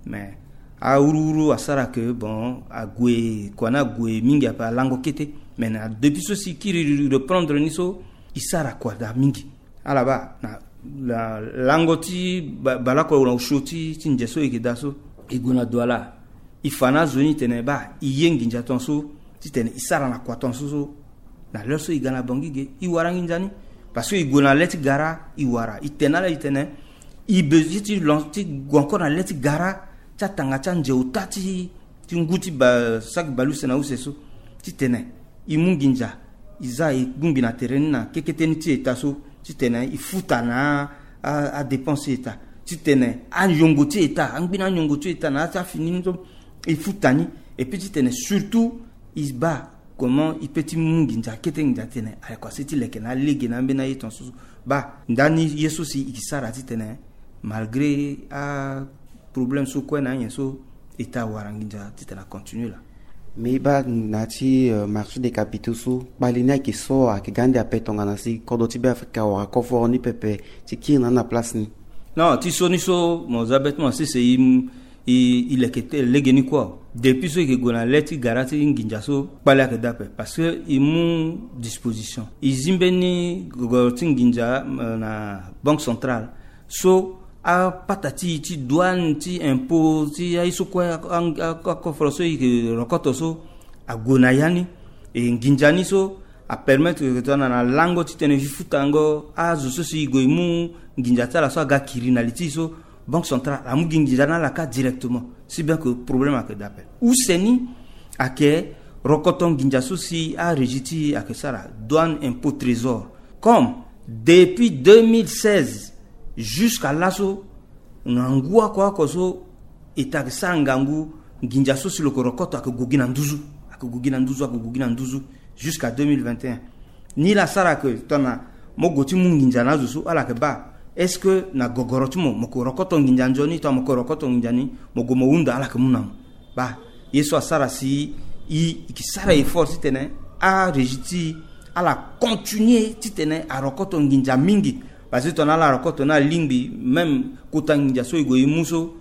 Mais awuruwuru asara ke, bon, ague, kua ni ague mingi ape, alango kete. Mais na depuis so si e kiri reprendre ni so, e sara kua daa mingi. Ala baa na, na lango ti ba, baleoko na osio ti, ti nze so e yeke daa so, e gue na Douala. E fa na azo ni tene baa e ye nginza tongaso titene e sara na kua tongaso so. Na l'heure so e ga na Bangui ge, e wara nginza ni. Parce que e gue na le ti gara, e wara. E tene na ala, e tene e besoin ti lon, ti gue encore na le ti gara ti atanga ti anze ota ti, ti ngu ti ba saki baleuse na use so, titene e mu nginza, e za e bongbi na tere ni na kekete ni ti eta so, titene e futa na adépense ti eta, titene anyongo ti eta, angbi na anyongo ti eta na ya ti afini ni so e futa ni. Et puis titene surtout e baa comment e pe ti mu nginza, kete nginza titene ayeko asi ti leke na alege na ambeni aye tongaso so. Baa ndani ye so si e ke sara titene malgré aproblème so kue na anyen so, eta awara nginza titene acontinue laa. Mais e baa na ya ti marché des capitaux so kpali ni ayeke so ayeke ga ande ape tongana si kodro ti Beafrika awara koforo ni pepe ti kiri na ni na place ni. Non, ti so ni so mo za bêtement sese e e leke te lege ni kue. Depuis so e ke gue na le ti gara ti nginza so, kpali ayeke daa ape parce que e mu disposition, e zi mbeni gogoro ti nginza na banque centrale so apata ti e ti douane, ti impôt, ti aye so kue akoforo so e ke rokoto so ague na ya ni. E nginza ni so apermettre ke tongana na lango titene e futango azo so si e gue e mu nginza ti ala so aga kiri na li ti e so, banque centrale amu gi nginza na ala kâ directement. Si bien que problème ayeke daa ape. Use ni ayeke rokoto nginza so si arégie ti e ayeke sara, douane, impôt, trésor. Comme depuis deux mille seize jusqu'à laso, na ngu oko oko so eta ayeke sara ngangu, nginza so si lo yeke rokoto ayeke gue gi na nduzu, ayeke gue gi na nduzu, ayeke gue gi na nduzu jusqu'à deux mille vingt et un. Ni laa asara ke tongana mo gue ti mu nginza na azo so, ala yeke baa est-ce que na gogoro ti mo mo yeke rokoto nginza nzoni, tongana mo yeke rokoto nginza ni, mo gue mo hunda, ala yeke mu na mo. Baa ye so asara si e, e ke sara effort titene arégie ti e ala continuer titene arokoto nginza mingi. Parce que tongana ala rokoto ni alingbi, même kota nginza so e gue e mu so,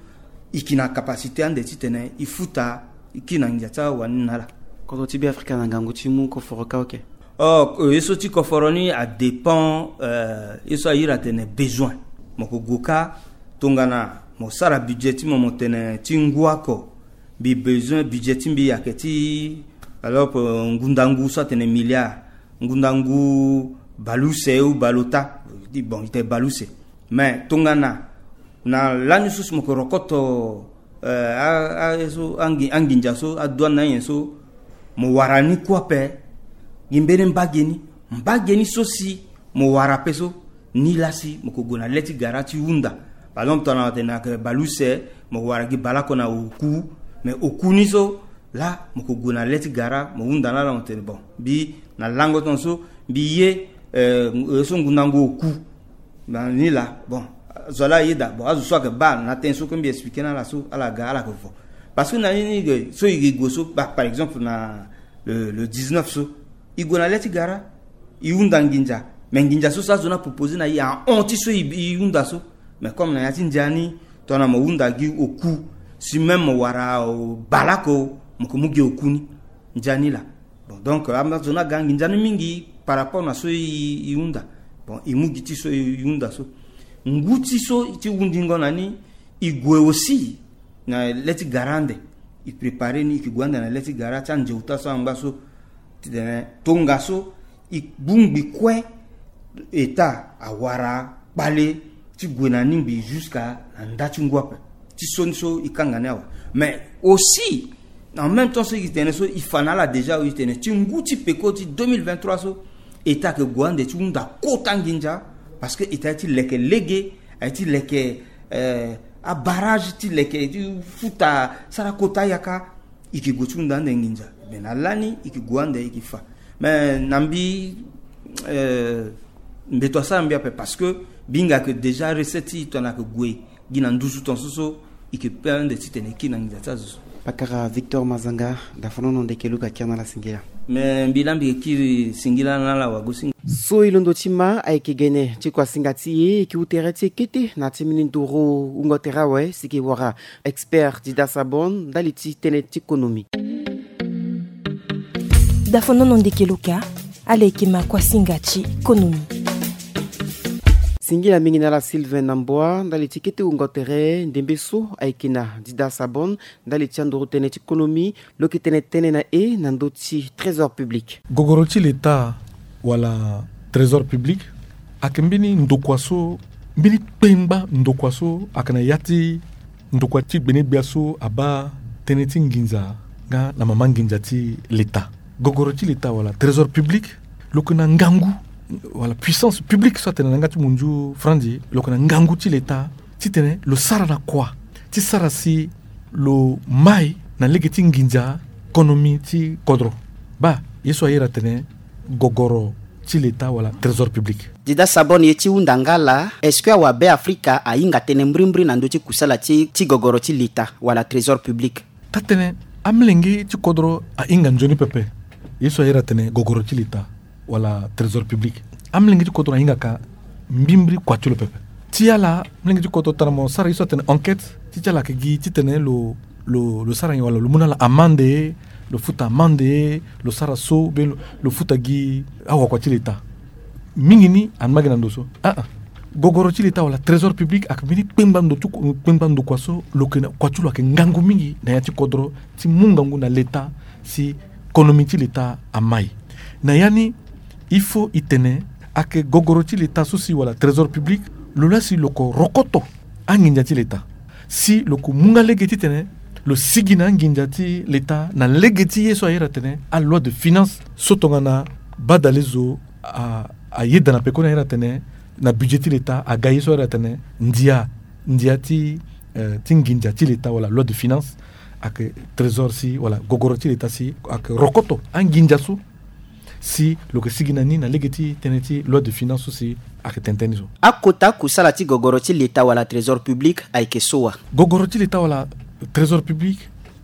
e ke na capacité ande titene e futa, e kiri na nginza ti awani na ala. Kodro ti Beafrika na ngangu ti mu koforo kâ, ok. Oh, ye so ti koforo ni adépend, euh, ye so airi atene besoin. Mo yeke gue kâ tongana mo sara budget ti mo, mo tene ti ngu oko, mbi besoin budget ti mbi ayeke ti, alors, euh, ngundangu so atene milliard, ngundangu baleuse ou baleota. Bon, e tene baleuse. Mais tongana na lani so si mo yeke rokoto, eh, a, a, so angi, anginza so, adouane na anyen so, mo wara ni kue ape gi mbeni mbage ni, mbage ni so si mo wara ape so, ni laa si mo yeke gue na le ti gara ti hunda. Par exemple tongana mo tene ayeke baleuse, mo wara gi baleoko na oku. Mais oku ni so laa mo yeke gue na le ti gara, mo hunda na ala, mo tene bon, mbi na lango tongana so mbi ye, eh, so ngundangu oku. Na ni laa, bon, zo laa ayeda, bon, azo so ayeke baa na tënë so kue mbi expliqué na ala so, ala ga, ala yeke vo. Parce que na ni ni ge so e ke gue so, bah, par exemple na le, le dix-neuf so, e gue na le ti gara, e hunda nginza. Mais nginza so si azo ni aproposé na e ahon ti so e, e hunda so. Mais comme na ya ti ndia ni, tongana mo hunda gi oku, si même mo wara, oh, baleoko, mo yeke mu gi oku ni. Ndia ni laa. Bon, donc azo ni aga nginza ni mingi par rapport na so e, e hunda. Bon, e mu gi ti so e hunda so. Ngu ti so ti hundingo na ni, e gue aussi na le ti gara ande. E préparé ni, e ke gue ande na le ti gara ti anzeuta so angba so. Titene tongaso e bongbi kue, eta awara kpale ti gue na ni ngbii jusqu'à na nda ti ngu ape. Ti so ni so e kanga ni awe. Mais aussi, en même temps so e tene so, e fa na ala déjà, e tene ti ngu ti peko ti deux mille vingt-trois so, eta ayeke gue ande ti hunda kota nginza. Parce que eta aye ti leke lege, aye ti leke, eh, abarrage, ti leke ti futa, sara kota yaka. E ke gue ti hunda ande nginza. Mais na lani e ke gue ande, e ke fa. Mais na mbi, eh, mbeto asara mbi ape parce que mbi hinga ke déjà recette ti e tongana ayeke gue gi na nduzu tongaso so, e ke pe ande titene e kiri na nginza ti azo so. Pakara Victor Mazanga, dafanono ndeke Luka, kiri na ala singila. Mais mbi laa mbi ke kiri singila na ala wagosinga. So e londo ti ma ayeke gene ti kuasinga ti e, e ke hu tere ti e kete na ti mbeni nduru wungo tere awe si e ke wara expert Dida Sabon ndali ti tënë ti konomi. Dafanono ndeke Luka, ala yeke ma kuasinga ti konomi. Singila mingi na ala Sylvain Namboa ndali ti kete wungo tere ndembe so ayeke na Dida Sabon ndali ti anduru tënë ti konomi, lo yeke tene tënë na e na ndö ti trésor public. Gogoro ti leta wala trésor public ayeke mbeni ndokua so, mbeni kpengba ndokua so ayeke na ya ti ndokua ti gbenegbia so abaa tënë ti nginza nga na mama nginza ti leta. Gogoro ti leta wala trésor public, lo yeke na ngangu, wala puissance publique so atene na yanga ti munzu franzi, lo yeke na ngangu ti leta titene lo sara na kua ti sara si lo mai na lege ti nginza konomi ti kodro. Baa ye so ayere atene gogoro ti leta wala trésor public. Dida Sabon, ye ti hunda nga laa, est-ce que awabe Afrika ahinga tënë mbrimbri na ndö ti kusala ti, ti gogoro ti leta wala trésor public? Taa-tënë, amolenge ti kodro ahinga nzoni pepe ye so ayere atene gogoro ti leta wala trésor public. Amolenge ti kodro ahingaka mbimbri kua ti lo pepe. Ti ala, amolenge ti kodro tara mo sara ye so atene enquête, ti ti ala ayeke gi titene lo, lo, lo sara nyen wala lo mu na ala amande, lo futa amande, lo sara so, be lo, lo futa gi awakua ti leta. Mingi ni angba gi na ndo so. Ah, ah. Gogoro ti leta wala trésor public ayeke mbeni kpengba ndo ti ku-, kpengba ndo kua so lo yeke na, kua ti lo ayeke ngangu mingi na ya ti kodro ti mu ngangu na leta si konomi ti leta amai. Na ya ni, il faut e tene ayeke gogoro ti leta so si wala trésor public, lo laa si lo yeke rokoto anginza ti leta. Si lo yeke mu nga lege titene lo sigi na anginza ti leta na lege ti ye so ayere atene aloi de finance so tongana badale zo a, ayeda na pekoni ayere atene na budget ti leta aga ye so ayere atene ndia, ndia ti, eh, ti nginza ti leta wala loi de finance, ayeke trésor si wala gogoro ti leta si ayeke rokoto anginza so si lo yeke sigi na ni na lege ti tënë ti loi de finance so si ayeke tene tënë ni so. Akota kusala ti gogoro ti leta wala trésor public ayeke so wa? Gogoro ti leta wala trésor public,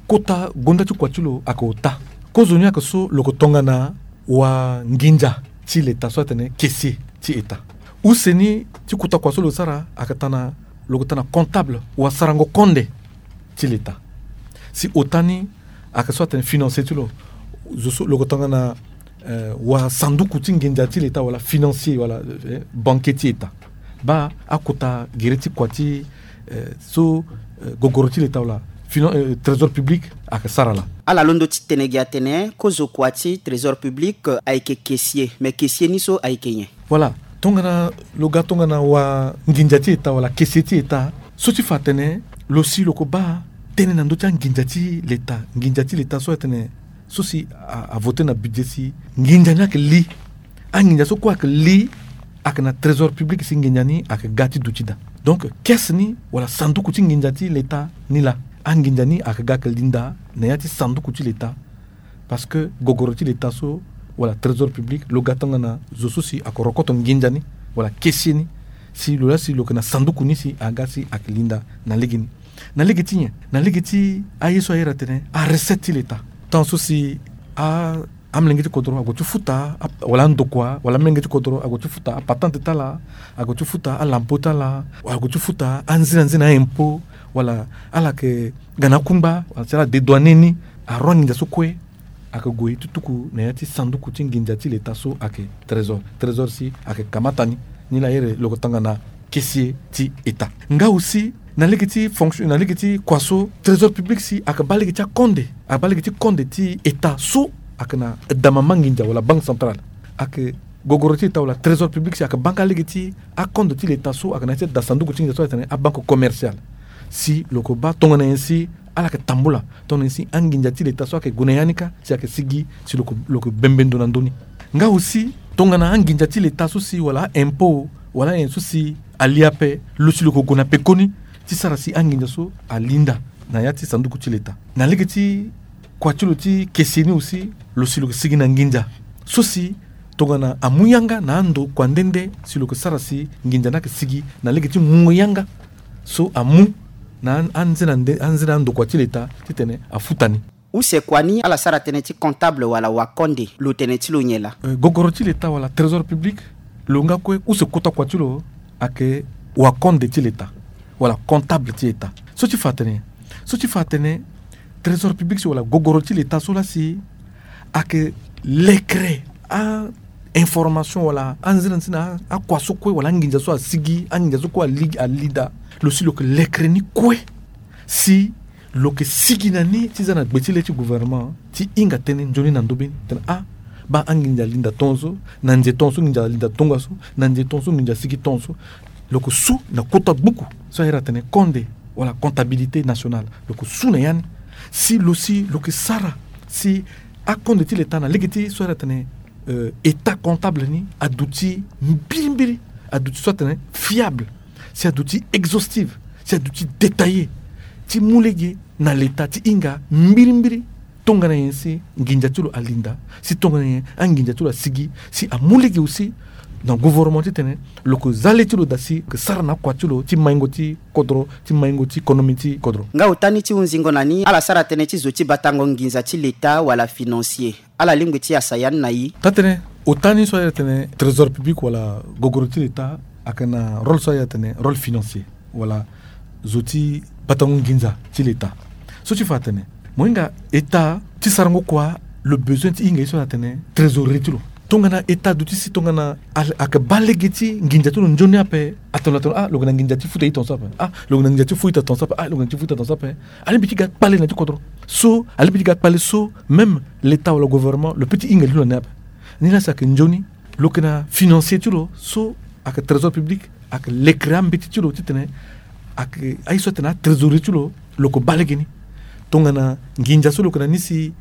kota gonda ti kua ti lo ayeke ota. Kozoni ayeke so lo yeke tongana wanginza ti leta so atene caissier ti eta. Use ni ti kota kua so lo sara ayeke tana, lo yeke tana comptable, wasarango konde ti leta. Si ota ni ayeke so atene financier ti lo. Zo so lo yeke tongana, eh, wasanduku ti nginza ti leta wala financier wala, eh, banquier ti eta. Baa akota gere ti kua ti, eh, so, eh, gogoro ti leta wala finan-, eh, trésor public ayeke sara laa. Ala londo ti tene gi atene kozo kua ti trésor public, eh, ayeke caissier. Mais caissier ni so ayeke nyen? Voilà. Tongana lo ga tongana wanginza ti eta wala caissier ti eta, so ti fa atene lo si lo yeke baa tënë na ndö ti anginza ti leta, nginza ti leta so atene so si a, avote na budget si nginza ni ayeke li. Anginza so kue ayeke li ayeke na trésor public si nginza ni ayeke ga ti duti daa. Donc caisse ni wala sanduku ti nginza ti leta ni laa, anginza ni ayeke ga ayeke li ndaa na ya ti sanduku ti leta. Parce que gogoro ti leta so wala trésor public, lo ga tongana zo so si ayeke rokoto nginza ni wala caissier ni, si lo laa si lo yeke na sanduku ni si aga si ayeke li ndaa na lege ni. Na lege ti nyen? Na lege ti aye so ayere atene arecette ti leta. Temps so si a, amolenge ti kodro ague ti futa a, wala andokua wala amolenge ti kodro ague ti futa apatente ti ala, ague ti futa alampo ti ala, wala ague ti futa anzinanzina aimpôt, wala ala yeke ga na akungba wala si ala dédouaner ni, aroa nginza so kue ayeke gue ti tuku na ya ti sanduku ti nginza ti leta so ayeke trésor. Trésor si ayeke kamata ni, ni laa ayere lo yeke tongana caissier ti eta. Nga aussi na lege ti fonction, na lege ti kua so trésor public si ayeke baa lege ti akonde, ayeke baa lege ti konde ti eta so ayeke na dama manginza wala banque centrale. Ayeke gogoro ti eta wala trésor public si ayeke baa nga lege ti akonde ti leta so ayeke na ya ti da sanduku ti nginza so ayeke tene abanque commerciale. Si lo yeke baa tongana nyen si ala yeke tambula, tongana nyen si anginza ti leta so ayeke gue na ya ni kâ si ayeke sigi si lo yeke, lo yeke bembe ndo na ndö ni. Nga aussi tongana anginza ti leta so si wala aimpôt wala anyen so si ali ape, lo si lo yeke gue na pekoni ti sara si anginza so ali ndaa na ya ti sanduku ti leta. Na lege ti kua ti lo ti caissier ni aussi, lo si lo yeke sigi na nginza so si tongana amu yanga na ando kua nde nde si lo yeke sara si nginza ni ayeke sigi na lege ti mu yanga so amu na an-, anzena nde, anzena andokua ti leta titene afuta ni. Use kua ni ala sara tënë ti comptable wala wakonde, lo tene ti lo nyen laa? Eh, gogoro ti leta wala trésor public, lo nga kue use kota kua ti lo ayeke wakonde ti leta wala comptable ti eta. So ti fa atene, so ti fa atene trésor public si wala gogoro ti leta so laa si ayeke lekere a information wala anzena nzena akua so kue wala anginza so asigi, anginza so kue ali, ali daa, lo si lo yeke lekere ni kue si lo yeke sigi na ni ti za na gbe ti le ti gouvernement ti hinga tënë nzoni na ndö be ni tene ah, baa anginza ali ndaa tongaso, na nze tongaso nginza ali ndaa tongaso, na nze tongaso nginza asigi tongaso. Lo yeke su na kota gbuku so ayere atene konde wala comptabilité nationale. Lo yeke su na ya ni Si lo si lo ke sara si akonde ti leta na lege ti so ala tene état comptable ni aduti mbirimbiri, aduti so atene fiable, si aduti exhaustive, si aduti détaillé, ti mu lege na leta ti hinga mbirimbiri. Tongana nyen si nginza ti lo alinda, si tongana nyen anginza ti lo asigi, si amu lege aussi na gouvernement titene lo ke za le ti lo daa si lo ke sara na akua ti lo ti maingo ti kodro, ti maingo ti konomi ti kodro. Nga ota ni ti hunzingo na ni ala sara tënë ti zo ti batango nginza ti leta wala financier. Ala lingbi ti yasa ya ni na i. Taa tënë, ota ni so aye atene trésor public wala gogoro ti leta, ayeke na rôle so aye atene rôle financier wala zo ti batango nginza ti leta. So ti fa atene mo hinga état ti sarango kua lo besoin ti hinga ye so atene trésorerie ti lo. Tongana état aduti si tongana ayeke baa lege ti nginza ti lo nzoni ape, atene lo atene ah lo yeke na nginza ti futa ita ton so ape, ah lo yeke na nginza ti futa ita ton so ape, ah lo yeke na nginza ti futa ita ton so ape. Alingbi ti ga kpale na ti kodro so, alingbi ti ga kpale so même leta wala gouvernement lo peut ti hinga li lo na ni ape. Ni la si ayeke nzoni lo yeke na financier ti lo so ayeke trésor public, ayeke lekere ambeti ti lo titene ayeke aye so atene atrésorerie ti lo, lo yeke baa lege ni. Tongana nginza so lo yeke na ni si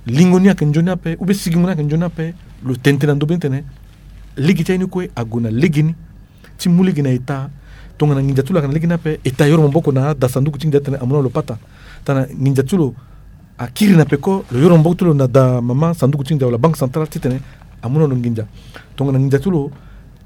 lingo ni ayeke nzoni ape ou bien sigingo ni ayeke nzoni ape, lo tene tënë na ndö be ni titene lege ti aye ni kue ague na lege ni ti mu lege na état. Tongana nginza ti lo ayeke na lege ni ape, état ayoro maboko na ada sanduku ti nginza titene amu na lo pata. Tongana nginza ti lo akiri na peko, lo yoro maboko ti lo na ada mama sanduku ti nginza wala banque centrale titene amu na lo nginza. Tongana nginza ti lo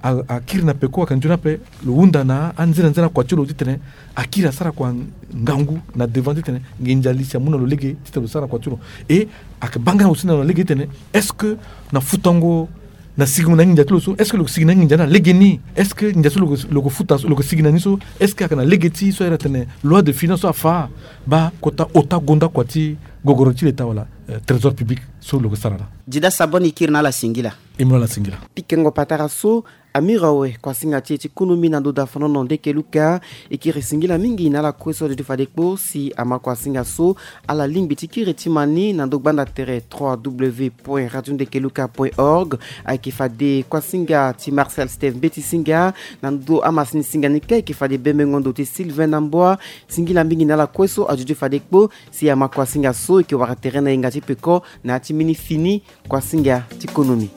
a- akiri na peko ayeke nzoni ape, lo hunda na anzenanzena kua ti lo titene akiri asara kua ngangu na devant titene nginza li si amu na lo lege titene lo sara kua ti lo. E ayeke baa nga aussi na lo na lege titene est-ce que na futango na sigingo na nginza ti lo so, est-ce que lo yeke sigi na nginza ni na lege ni? Est-ce que nginza so lo yeke- lo yeke futa so, lo yeke sigi na ni so, est-ce que ayeke na lege ti so aye atene loi de finance so afa? Baa kota ota gonda kua ti gogoro ti leta wala eh, trésor public so lo yeke sara laa. Dida Sabon e kiri na ala singila. E mu na ala singila. Pikango patara so amira awe kuasinga ti e ti konomi na ndo dafanono ndeke luka. E kiri singila mingi na ala kue so aduti fade kpo si ama kuasinga so ala lingbi ti kiri ti ma ni na ndo gbanda tere trois w point radio ndeke luka point org. Ayeke fade kuasinga ti Marcel Steve Mbeti Singa. Na ndo amasini singa ni kâ ayeke fade bembengo ndo ti Sylvain Namboa. Singila mingi na ala kue so aduti fade kpo si ama kuasinga so e yeke wara tere na yenga ti peko na ya ti mbeni fini kuasinga ti konomi.